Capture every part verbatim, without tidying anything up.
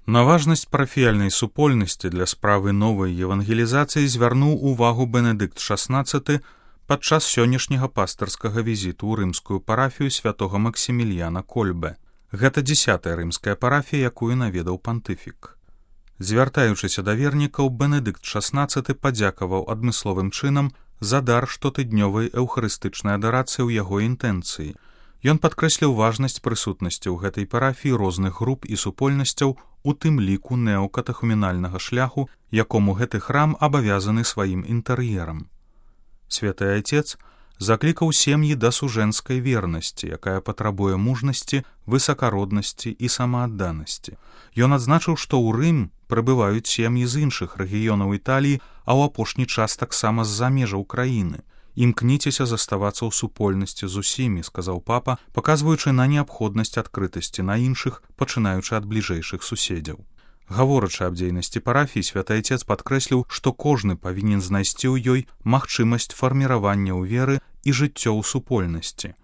На важнасць парафіяльнай супольнасці для справы новай евангелізацыі звярнуў увагу Бенедыкт шаснаццаты падчас сённяшняга пастырскага візіту ў рымскую парафію святога Максіміліяна Кольбе. Гэта дзесятая рымская парафія, якую наведаў пантыфік. Звяртаючыся да вернікаў, Бенедыкт шаснаццаты падзякаваў адмысловым чынам за дар штотыднёвай эўхарыстычнай адарацыі ў яго інтэнцыі. Ён падкрэсліў важнасць прысутнасці ў гэтай парафіі розных груп і супольнасцяў, у тым ліку неокатахумінальнага шляху, якому гэты храм абавязаны сваім інтэр'ерам. Святы Айцец заклікаў сем'і да сужэнскай вернасці, якая патрабуе мужнасці, высакароднасці і самаадданасці. Ён адзначыў, што ў Рым прыбываюць сем'і з іншых рэгіёнаў Італіі, а ў апошні час таксама з-за межаў краіны. «Імкніцеся заставацца ў супольнасці з усімі», — сказаў папа, паказваючы на неабходнасць адкрытасці на іншых, пачынаючы ад бліжэйшых суседзяў. Гаворачы аб дзейнасці парафіі, святы Айцец падкрэсліў, што кожны павінен знайсці ў ёй магчымасць фарміравання ў веры і жыццё ў супольнасці.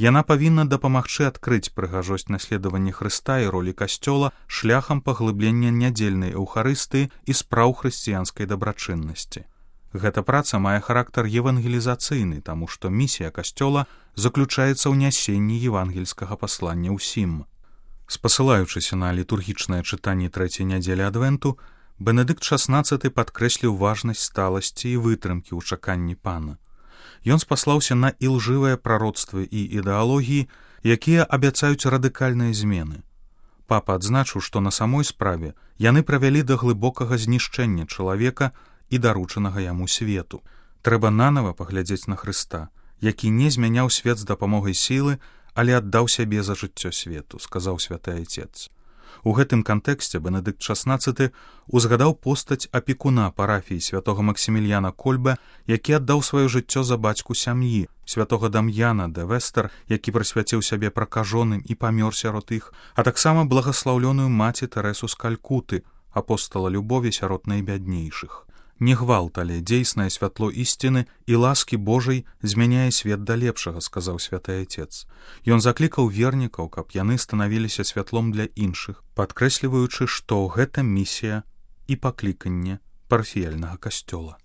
Яна павінна дапамагчы адкрыць прыгажосць наследавання Хрыста і ролі касцёла шляхам паглыблення нядзельнай эўхарыстыі і спраў хрысціянскай дабрачыннасці. Гэта праца мае характар евангелізацыйны, таму што місія касцёла заключаецца ў нясенні евангельскага паслання ўсім. Спасылаючыся на літургічнае чытанне трэцяй нядзелі адвенту, Бенедыкт шаснаццаты падкрэсліў важнасць сталасці і вытрымкі ў чаканні пана. Ён спаслаўся на ілжывыя прароцтвы і ідэалогіі, якія абяцаюць радыкальныя змены. Папа адзначыў, што на самой справе яны правялі да глыбокага знішчэння чалавека і даручанага яму свету. Трэба нанава паглядзець на Хрыста, які не змяняў свет з дапамогай сілы, але аддаў сябе за жыццё свету, сказаў святы Айцец. У гэтым кантэксце Бенедыкт шаснаццаты узгадаў постаць апекуна парафіі святога Максіміліяна Кольбе, які аддаў сваё жыццё за бацьку сям'і, святога Дам'яна де Вестер, які прысвяціў сябе пракажоным і памёр сярод іх, а таксама благаслаўлёную маці Тэрэсу з Калькуты, апостала любові сярод найбяднейшых. Не гвалт, але дзейснае святло ісціны і ласкі Божай змяняе свет да лепшага, сказаў святы Айцец. Ён заклікаў вернікаў, каб яны станавіліся святлом для іншых, падкрэсліваючы, што гэта місія і пакліканне парафіяльнага касцёла.